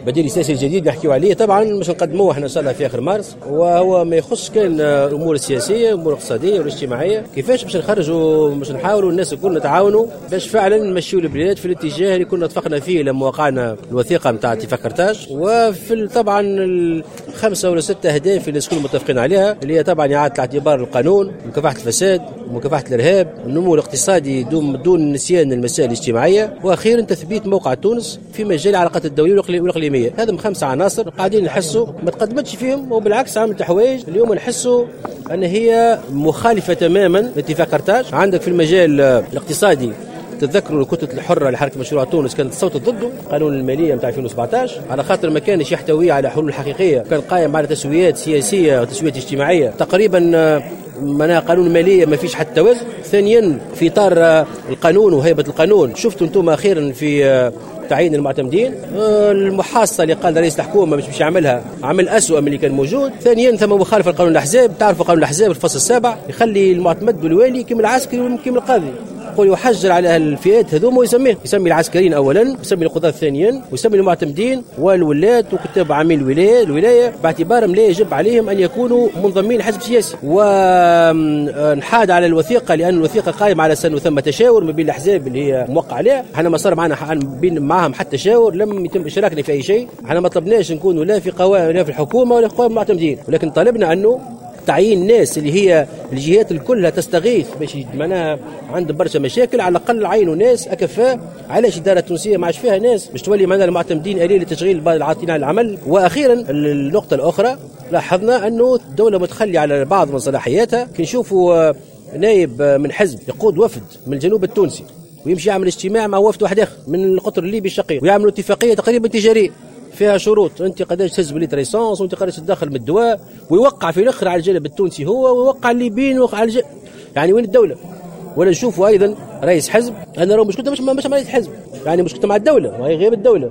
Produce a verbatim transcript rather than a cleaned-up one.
بديل السياسي الجديد نحكيو عليه طبعا باش نقدموه احنا ان شاء الله في اخر مارس، وهو ما يخص كان الامور السياسية، الامور الاقتصادية والاجتماعية، كيفاش باش نخرجوا باش نحاولوا الناس الكل نتعاونوا باش فعلا نمشيو البلاد في الاتجاه اللي كنا اتفقنا فيه لما وقعنا الوثيقة نتاع اتفاق قرطاج، وفي طبعا الخمسة ولا ستة اهداف اللي الكل متفقين عليها، اللي هي طبعا اعاده الاعتبار للقانون، مكافحة الفساد، مكافحة الارهاب، النمو الاقتصادي دون دون نسيان المسائل الاجتماعية، واخيرا تثبيت موقع تونس في مجال العلاقات الدولية والاقليميه. هذا من خمسة عناصر قاعدين نحسوا ما تقدمتش فيهم، وبالعكس عملت حوايج اليوم نحسوا ان هي مخالفة تماما لاتفاق قرطاج. عندك في المجال الاقتصادي تتذكروا الكتلة الحرة لحركة مشروع تونس كانت صوتت ضده قانون المالية نتاع ألفين وسبعطاش على خاطر ما كانش يحتوي على حلول حقيقية، كان قائم على تسويات سياسية وتسويات اجتماعية تقريبا، معناها قانون المالية ما فيش حتى توازن. ثانيا في اطار القانون وهيبة القانون، شفتوا انتم اخيرا في تعيين المعتمدين المحاصه اللي قال رئيس الحكومة مش باش يعملها، عمل اسوء من اللي كان موجود. ثانيا ثم مخالفة لقانون الاحزاب، تعرفوا قانون الاحزاب الفصل السابع يخلي المعتمد والوالي كيما العسكري وكيما القاضي، يقول يحجر على الفئات هذوما ويسميه، يسمي العسكريين اولا، يسمي القضاة ثانيا، ويسمي المعتمدين والولاة وكتاب عامين الولاية الولاية باعتبارهم لا يجب عليهم ان يكونوا منضمين لحزب سياسي. ونحاد على الوثيقة لان الوثيقة قائمة على سنة ثم تشاور ما بين الاحزاب اللي هي موقع عليها، احنا ما صار معنا بين معهم حتى تشاور، لم يتم اشراكنا في اي شيء، احنا ما طلبناش نكونوا لا في قوائم لا في الحكومة ولا في قوائم المعتمدين، ولكن طلبنا انه تعيين ناس اللي هي الجهات الكلها تستغيث باش معناها عندهم برشا مشاكل، على الاقل عينوا ناس اكفاء. علاش الادارة التونسية ما عادش فيها ناس باش تولي معناها المعتمدين آلية لتشغيل بعض العاطلين عن العمل؟ واخيرا النقطة الاخرى، لاحظنا انه الدولة متخليه على بعض من صلاحياتها. كي نشوفوا نايب من حزب يقود وفد من الجنوب التونسي ويمشي يعمل اجتماع مع وفد واحد اخر من القطر الليبي الشقيق ويعملوا اتفاقية تقريبا تجارية فيها شروط، انت قداش تهز بليتر essence وانت قداش تدخل من الدواء، ويوقع في الاخر على الجانب التونسي هو ويوقع الليبيين ويوقع على الجانب، يعني وين الدولة؟ ولا نشوفوا ايضا رئيس حزب، انا راه مشكلته مش مش رئيس حزب، يعني مشكلته مع الدولة وهي غير الدولة.